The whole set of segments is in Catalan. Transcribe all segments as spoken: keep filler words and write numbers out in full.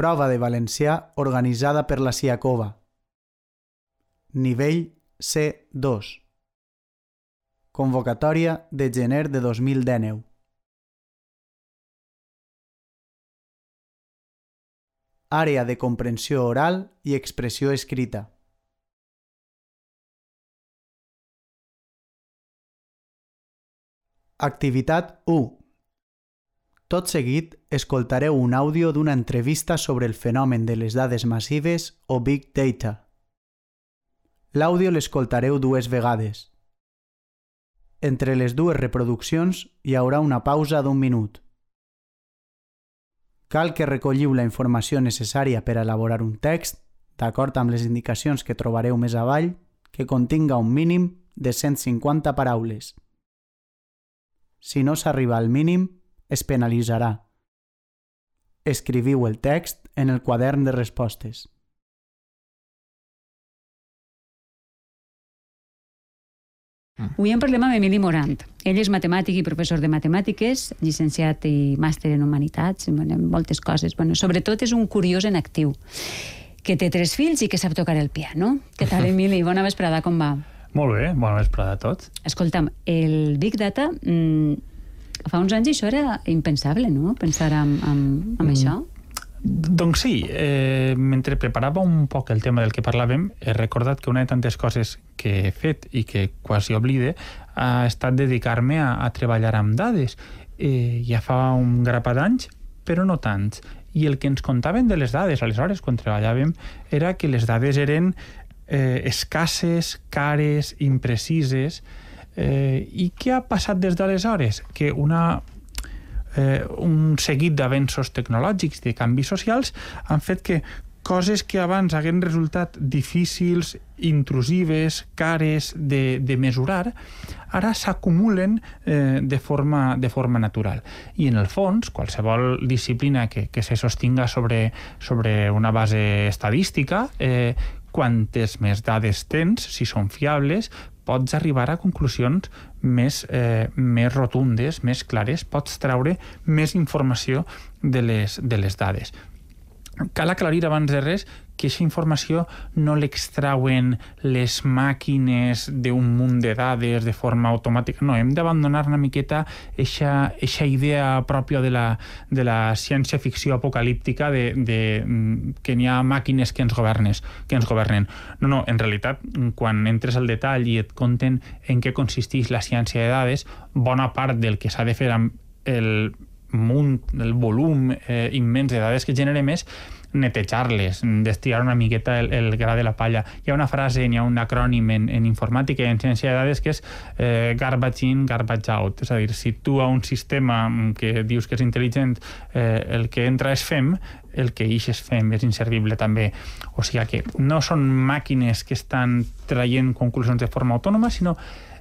Prova de valencià organitzada per la Siacova. Nivell C dos. Convocatòria de gener de dos mil dinou. Àrea de comprensió oral i expressió escrita. Activitat u. Tot seguit, escoltareu un àudio d'una entrevista sobre el fenomen de les dades massives o Big Data. L'àudio l'escoltareu dues vegades. Entre les dues reproduccions hi haurà una pausa d'un minut. Cal que recolliu la informació necessària per elaborar un text, d'acord amb les indicacions que trobareu més avall, que continga un mínim de cent cinquanta paraules. Si no s'arriba al mínim, es penalitzarà. Escriviu el text en el quadern de respostes. Avui en parlem amb Emili Morant. Ell és matemàtic i professor de matemàtiques, llicenciat i màster en humanitats, en moltes coses. Bueno, sobretot és un curiós en actiu, que té tres fills i que sap tocar el piano. Què tal, Emili? Bona vesprada, com va? Molt bé, bona vesprada a tots. Escolta'm, el Big Data, mmm, fa uns anys això era impensable, no?, pensar en, en, en mm. això. Doncs sí, eh, mentre preparava un poc el tema del que parlàvem, he recordat que una de tantes coses que he fet i que quasi oblide ha estat dedicar-me a, a treballar amb dades. Eh, ja fa un grapat d'anys, però no tants. I el que ens contaven de les dades, aleshores, quan treballàvem, era que les dades eren eh, escasses, cares, imprecises. Eh, I què ha passat des d'aleshores? Que una... Eh, un seguit d'avenços tecnològics, de canvis socials, han fet que coses que abans hagueren resultat difícils, intrusives, cares de, de mesurar, ara s'acumulen eh, de, forma, de forma natural. I en el fons, qualsevol disciplina que, que se sostinga sobre, sobre una base estadística, eh, quantes més dades tens, si són fiables, pots arribar a conclusions més, eh, més rotundes, més clares, pots treure més informació de les, de les dades. Cal aclarir abans de res que aquesta informació no l'extrauen les màquines d'un munt de dades de forma automàtica. No, hem d'abandonar una miqueta aquesta idea pròpia de la, de la ciència-ficció apocalíptica de, de, que n'hi ha màquines que ens governes, que ens governen. No, no, en realitat, quan entres al detall i et conten en què consisteix la ciència de dades, bona part del que s'ha de fer amb el munt, el volum eh, immens de dades que generem és netejar-les, destilar una miqueta el, el gra de la palla. Hi ha una frase, hi ha un acrònim en, en informàtica i en ciència de dades que és eh, garbage in, garbage out. És a dir, si tu a un sistema que dius que és intel·ligent, eh, el que entra és fem, el que ix és fem, és inservible també. O sigui que no són màquines que estan traient conclusions de forma autònoma, sinó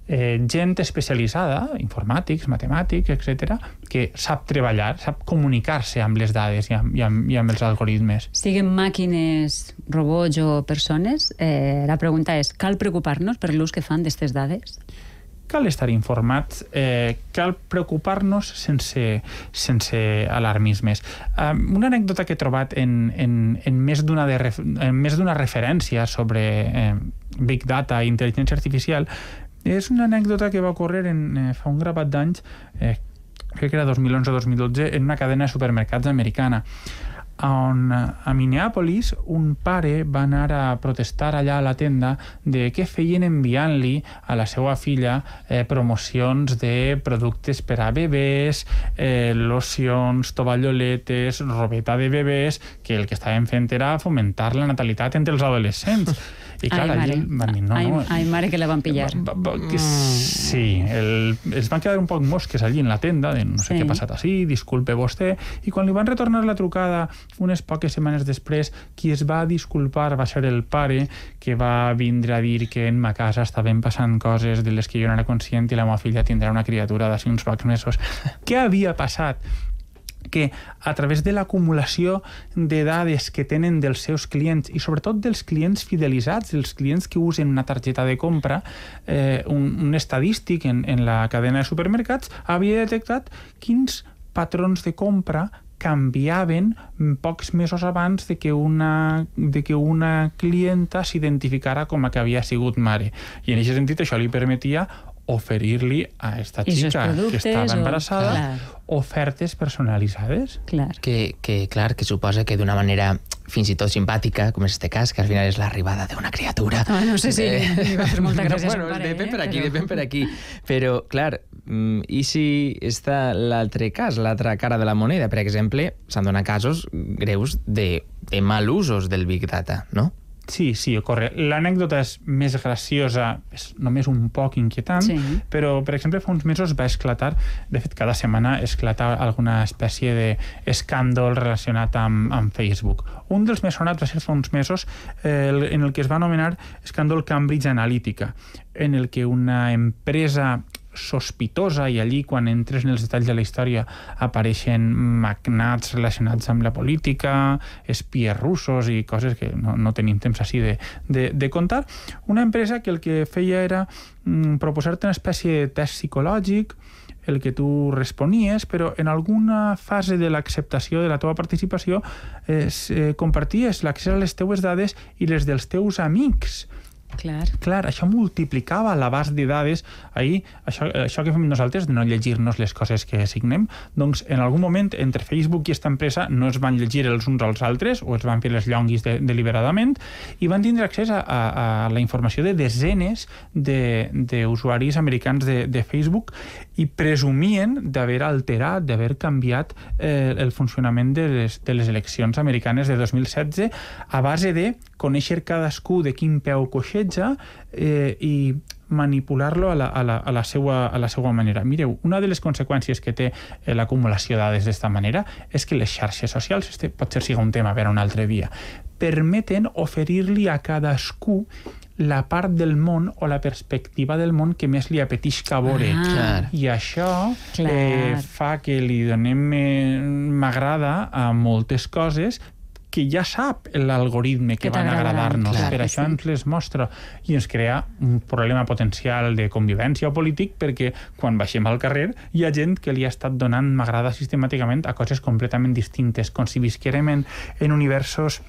Eh, gent especialitzada, informàtics, matemàtics, etcètera, que sap treballar, sap comunicar-se amb les dades i amb, i amb, i amb els algoritmes. Siguin màquines, robots o persones, eh, la pregunta és, cal preocupar-nos per l'ús que fan d'aquestes dades? Cal estar informats, eh, cal preocupar-nos sense, sense alarmismes. Um, una anècdota que he trobat en, en, en més d'una de ref, en més d'una referència sobre eh, Big Data i intel·ligència artificial és una anècdota que va ocórrer en, eh, fa un grapat d'anys, eh, crec que era dos mil onze o dos mil dotze, en una cadena de supermercats americana, on a Minneapolis un pare va anar a protestar allà a la tenda de què feien enviant-li a la seva filla eh, promocions de productes per a bebès, eh, locions, tovalloletes, robeta de bebès, que el que estaven fent era fomentar la natalitat entre els adolescents. I clar, ai, mare. Van dir, no, ai, no, ai, mare, que la van pillar. Va, va, que sí, el, es van quedar un poc mosques allí en la tenda, de no sé sí. què ha passat així, disculpe vostè, i quan li van retornar la trucada unes poques setmanes després, qui es va disculpar va ser el pare, que va vindre a dir que en ma casa estaven passant coses de les que jo no era conscient i la meva filla tindrà una criatura d'ací uns pocs mesos. Què havia passat? Que a través de l'acumulació de dades que tenen dels seus clients i sobretot dels clients fidelitzats, dels clients que usen una targeta de compra, eh, un, un estadístic en, en la cadena de supermercats havia detectat quins patrons de compra canviaven pocs mesos abans de que una, de que una clienta s'identificara com a que havia sigut mare. I en aquest sentit això li permetia oferir-li a esta xica que estava embarassada o... ofertes personalitzades. Clar. Que, que, clar, que suposa que d'una manera fins i tot simpàtica, com és este cas, que al final és l'arribada d'una criatura. Ah, no sé si eh... li va fer molta gràcia no, bueno, pare, depèn per aquí, però... depèn per aquí. Però, clar, i si està l'altre cas, l'altra cara de la moneda? Per exemple, s'han donat casos greus de, de mal usos del Big Data, no? Sí, sí, ocorre. L'anècdota és més graciosa, és només un poc inquietant, sí. Però, per exemple, fa uns mesos va esclatar, de fet, cada setmana esclata alguna espècie d'escàndol relacionat amb, amb Facebook. Un dels més sonats va ser fa uns mesos eh, en el que es va anomenar escàndol Cambridge Analytica, en el que una empresa sospitosa, i allí quan entres en els detalls de la història apareixen magnats relacionats amb la política, espies russos i coses que no, no tenim temps així de, de, de contar, una empresa que el que feia era mm, proposar-te una espècie de test psicològic el que tu responies, però en alguna fase de l'acceptació de la teva participació eh, comparties l'accés a les teues dades i les dels teus amics. Clar. Clar, això multiplicava l'abast de dades. Ahir, això, això que fem nosaltres, de no llegir-nos les coses que signem, doncs en algun moment entre Facebook i aquesta empresa no es van llegir els uns als altres o es van fer les llonguis de, deliberadament i van tindre accés a, a, a la informació de desenes d'usuaris de, americans de, de Facebook i presumien d'haver alterat, d'haver canviat eh, el funcionament de les, de les eleccions americanes de dos mil setze a base de conèixer cadascú de quin peu coixeja eh, i manipular-lo a la, a, la, a, la seua, a la seua manera. Mireu, una de les conseqüències que té eh, l'acumulació de dades d'esta manera és que les xarxes socials, este pot ser siga un tema per un altre dia, permeten oferir-li a cadascú la part del món o la perspectiva del món que més li apetisca veure. Ah, I això eh, fa que li donem eh, m'agrada a moltes coses que ja sap l'algoritme que, que van agradar-nos. Per això sí. Ens les mostra i ens crea un problema potencial de convivència o polític perquè quan baixem al carrer hi ha gent que li ha estat donant m'agrada sistemàticament a coses completament distintes, com si visquérem en, en universos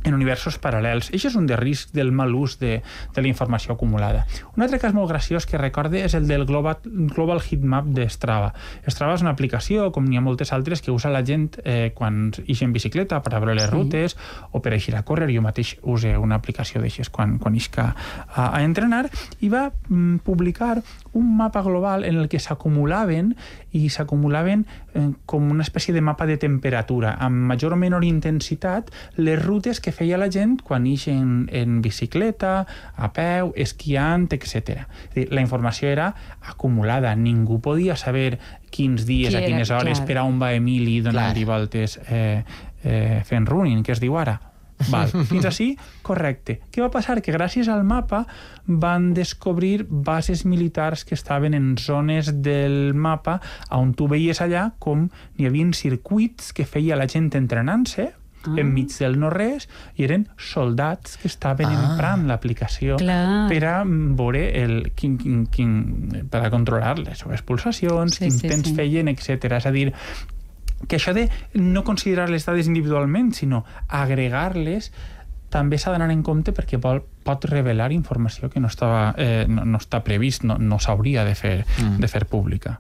en universos paral·lels. Això és un de risc del mal ús de, de la informació acumulada. Un altre cas molt graciós que recorde és el del Global, Global Heatmap de Strava. Strava és una aplicació, com n'hi ha moltes altres, que usa la gent eh, quan ix en bicicleta per a veure les sí. rutes o per a eixir a córrer. Jo mateix use una aplicació d'aixes quan, quan ixc a, a entrenar i va mm, publicar un mapa global en el que s'acumulaven i s'acumulaven eh, com una espècie de mapa de temperatura, amb major o menor intensitat, les rutes que feia la gent quan ix en, en bicicleta, a peu, esquiant, etcètera. La informació era acumulada, ningú podia saber quins dies, a quines hores, clar. Per a on va Emili donant-hi voltes eh, eh, fent running, que es diu ara. Val. Fins així, correcte. Què va passar? Que gràcies al mapa van descobrir bases militars que estaven en zones del mapa on tu veies allà com n'hi havia circuits que feia la gent entrenant-se ah. enmig del no-res i eren soldats que estaven ah. emprant l'aplicació Clar. Per a veure el, quin, quin, quin, per a controlar les seves pulsacions, sí, quin sí, temps sí. feien, etcètera. És a dir, que això de no considerar les dades individualment, sinó agregar-les, també s'ha d'anar en compte perquè vol, pot revelar informació que no, estava, eh, no, no està previst, no, no s'hauria de fer, mm. de fer pública.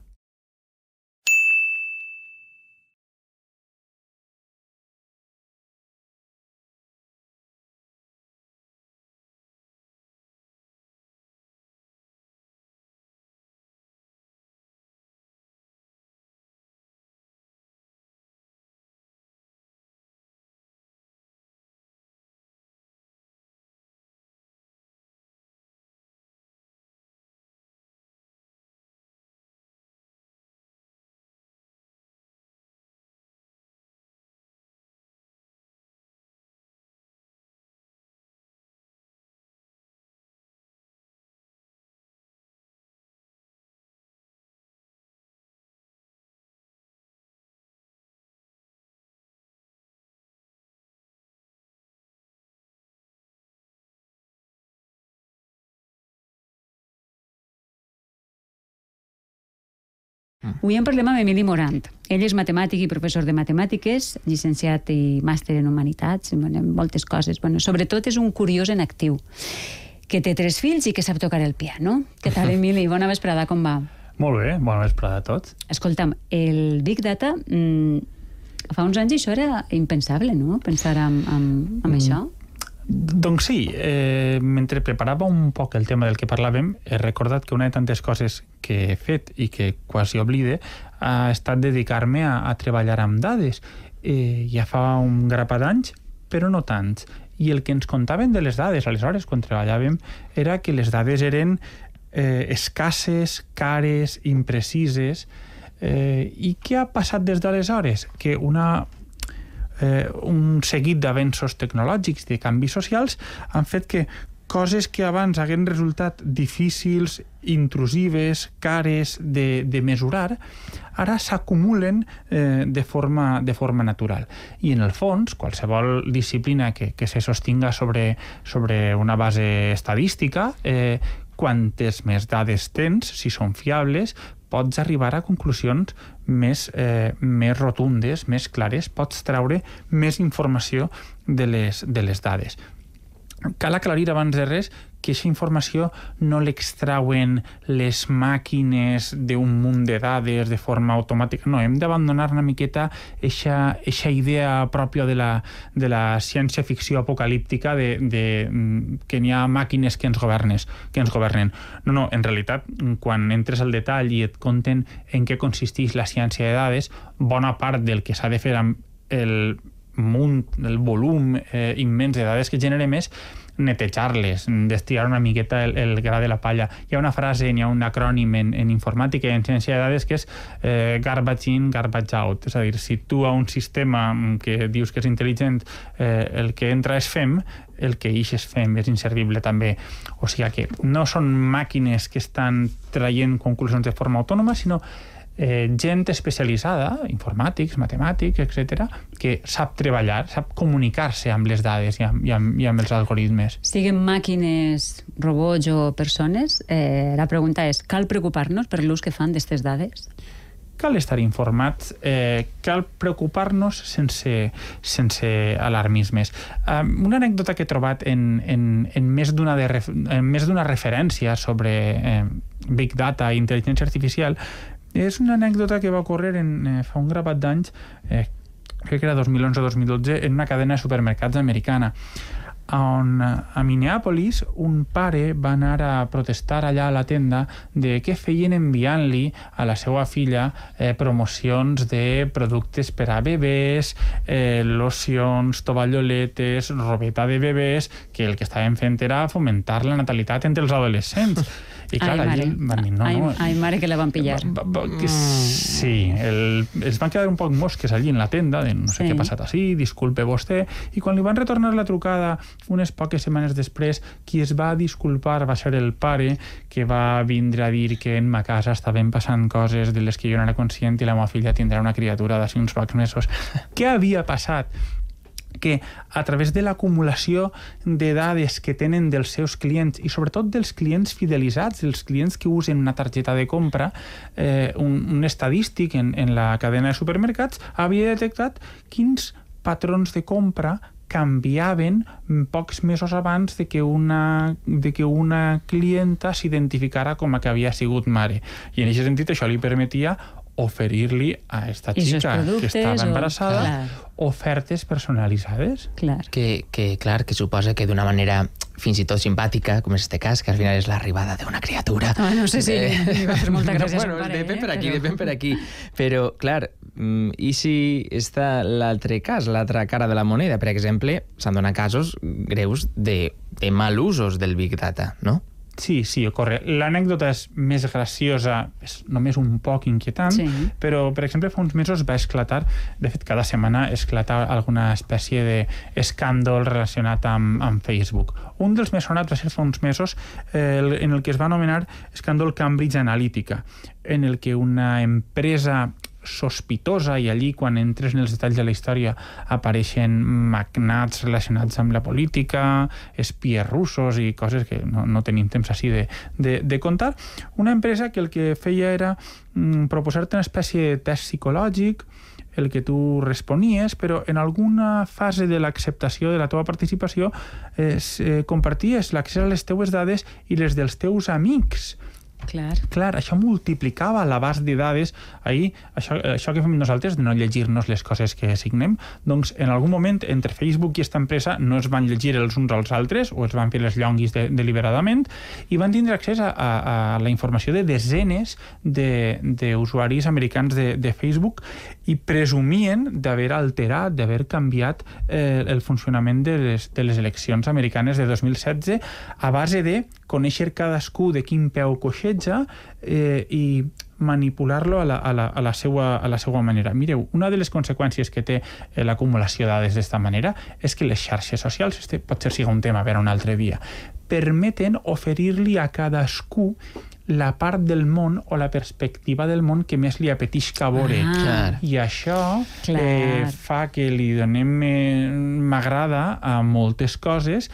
Avui en parlem amb Emili Morant. Ell és matemàtic i professor de matemàtiques, llicenciat i màster en humanitats, en moltes coses. Bueno, sobretot és un curiós en actiu, que té tres fills i que sap tocar el piano. Què tal, Emili? Bona vesprada, com va? Molt bé, bona vesprada a tots. Escolta'm, el Big Data, mmm, fa uns anys això era impensable, no?, pensar en, en, en mm. això. Doncs sí, eh, mentre preparava un poc el tema del que parlàvem, he recordat que una de tantes coses que he fet i que quasi oblide ha estat dedicar-me a, a treballar amb dades. Eh, ja fa un grapat d'anys, però no tants. I el que ens contaven de les dades, aleshores, quan treballàvem, era que les dades eren eh, escasses, cares, imprecises. Eh, I què ha passat des d'aleshores? Que una... Eh, un seguit d'avenços tecnològics, de canvis socials, han fet que coses que abans hagueren resultat difícils, intrusives, cares de, de mesurar, ara s'acumulen eh, de, forma, de forma natural. I en el fons, qualsevol disciplina que, que se sostinga sobre, sobre una base estadística, eh, quantes més dades tens, si són fiables, pots arribar a conclusions més, eh, més rotundes, més clares, pots treure més informació de les, de les dades. Cal aclarir abans de res que aquesta informació no l'extrauen les màquines d'un munt de dades de forma automàtica. No, hem d'abandonar una miqueta aquesta idea pròpia de la, de la ciència-ficció apocalíptica de, de, que n'hi ha màquines que ens, governes, que ens governen. No, no, en realitat, quan entres al detall i et conten en què consisteix la ciència de dades, bona part del que s'ha de fer amb el munt, el volum eh, immens de dades que generem és netejar-les, destilar una miqueta el, el gra de la palla. Hi ha una frase, hi ha un acrònim en, en informàtica i en ciència de dades que és eh, garbage in, garbage out. És a dir, si tu a un sistema que dius que és intel·ligent eh, el que entra és fem, el que ix és fem, és inservible també. O sigui que no són màquines que estan traient conclusions de forma autònoma, sinó Eh, gent especialitzada, informàtics, matemàtics, etcètera, que sap treballar, sap comunicar-se amb les dades i amb, i amb, i amb els algoritmes. Siguin màquines, robots o persones, eh, la pregunta és, cal preocupar-nos per l'ús que fan d'aquestes dades? Cal estar informats, eh, cal preocupar-nos sense, sense alarmismes. Um, una anècdota que he trobat en, en, en més d'una de ref, en més d'una referència sobre eh, Big Data i intel·ligència artificial és una anècdota que va ocórrer en, eh, fa un grapat d'anys, eh, crec que era dos mil onze o dos mil dotze, en una cadena de supermercats americana, on a Minneapolis un pare va anar a protestar allà a la tenda de què feien enviant-li a la seva filla eh, promocions de productes per a bebès, eh, locions, tovalloletes, robeta de bebès, que el que estaven fent era fomentar la natalitat entre els adolescents. I clar, ai, mare. Van dir, no, ai, no, ai, mare, que la van pillar. Va, va, que sí, el, els van quedar un poc mosques allí en la tenda, de no sé sí. què ha passat així, disculpe vostè, i quan li van retornar la trucada unes poques setmanes després, qui es va disculpar va ser el pare, que va vindre a dir que en ma casa estaven passant coses de les que jo no era conscient i la meva filla tindrà una criatura d'ací uns pocs mesos. Què havia passat? Que a través de l'acumulació de dades que tenen dels seus clients i sobretot dels clients fidelitzats, els clients que usen una targeta de compra, eh, un, un estadístic en, en la cadena de supermercats havia detectat quins patrons de compra canviaven pocs mesos abans de que una, de que una clienta s'identificara com a que havia sigut mare. I en aquest sentit això li permetia oferir-li a esta xica que estava embarassada o, ofertes personalitzades. Clar. Que, que, clar, que suposa que d'una manera fins i tot simpàtica, com és este cas, que al final és l'arribada d'una criatura. Ah, no sé si eh... li va fer molta gràcia no, bueno, a son pare. Depèn per aquí, però... depèn per aquí. Però, clar, i si està l'altre cas, l'altra cara de la moneda, per exemple, s'han donat casos greus de, de mal usos del Big Data, no? Sí, sí, ocorre. L'anècdota és més graciosa, és només un poc inquietant, sí. Però, per exemple, fa uns mesos va esclatar, de fet, cada setmana esclata alguna espècie d'escàndol relacionat amb, amb Facebook. Un dels més sonats va ser fa uns mesos eh, en el que es va anomenar escàndol Cambridge Analytica, en el que una empresa sospitosa, i allí, quan entres en els detalls de la història, apareixen magnats relacionats amb la política, espies russos i coses que no, no tenim temps així de, de, de contar. Una empresa que el que feia era mm, proposar-te una espècie de test psicològic, el que tu responies, però en alguna fase de l'acceptació de la teva participació eh, comparties l'accés a les teues dades i les dels teus amics. Clar. Clar, això multiplicava l'abast de dades. Ahir, això, això que fem nosaltres, de no llegir-nos les coses que signem, doncs en algun moment entre Facebook i aquesta empresa no es van llegir els uns als altres o es van fer les llonguis de, deliberadament i van tindre accés a, a, a la informació de desenes d'usuaris de, americans de, de Facebook i presumien d'haver alterat, d'haver canviat eh, el funcionament de les, de les eleccions americanes de dos mil setze a base de conèixer cadascú de quin peu coixeja eh, i manipular-lo a la, a, la, a, la seva, a la seva manera. Mireu, una de les conseqüències que té eh, l'acumulació de dades d'esta manera és que les xarxes socials, este potser sigui un tema per a un altre dia, permeten oferir-li a cadascú la part del món o la perspectiva del món que més li apetisca veure. Ah, I això eh, fa que li donem eh, m'agrada a moltes coses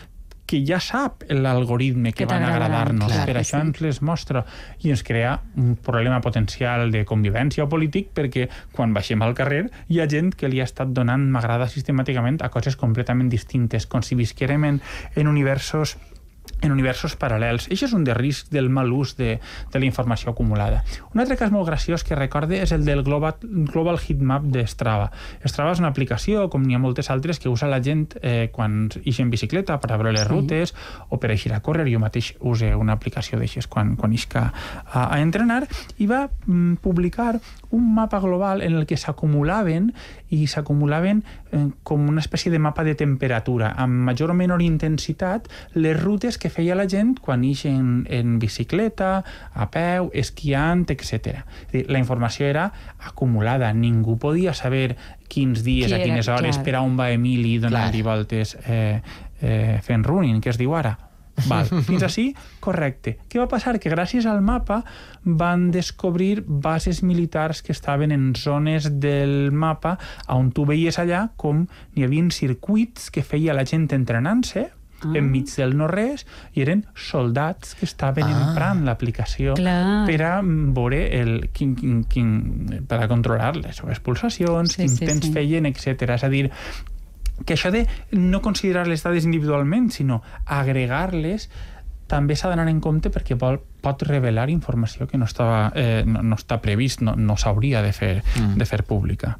que ja sap l'algoritme que, que van agradar-nos. Per això sí. Ens les mostra i ens crea un problema potencial de convivència o polític perquè quan baixem al carrer hi ha gent que li ha estat donant m'agrada sistemàticament a coses completament distintes, com si visquérem en, en universos en universos paral·lels. Això és un de risc del mal ús de, de la informació acumulada. Un altre cas molt graciós que recorde és el del Global, Global Heatmap de Strava. Strava és una aplicació, com n'hi ha moltes altres, que usa la gent eh, quan ix en bicicleta per a veure les sí. rutes o per a eixir a córrer. Jo mateix use una aplicació d'aixes quan, quan ix a, a entrenar i va mm, publicar un mapa global en el que s'acumulaven i s'acumulaven eh, com una espècie de mapa de temperatura, amb major o menor intensitat, les rutes que feia la gent quan ix en, en bicicleta, a peu, esquiant, etcètera. La informació era acumulada, ningú podia saber quins dies, a quines hores, clar. Per a on va Emili donant-li voltes eh, eh, fent running, que es diu ara. Val. Fins així, correcte. Què va passar? Que gràcies al mapa van descobrir bases militars que estaven en zones del mapa on tu veies allà com hi havia circuits que feia la gent entrenant-se ah. enmig del no-res i eren soldats que estaven ah. emprant l'aplicació per a veure el, quin, quin, quin, per a controlar les seves pulsacions, sí, quin sí, temps sí. feien, etcètera. És a dir, que això de no considerar les dades individualment, sinó agregar-les, també s'ha d'anar en compte perquè vol, pot revelar informació que no, estava, eh, no, no està previst, no, no s'hauria de fer, mm. de fer pública.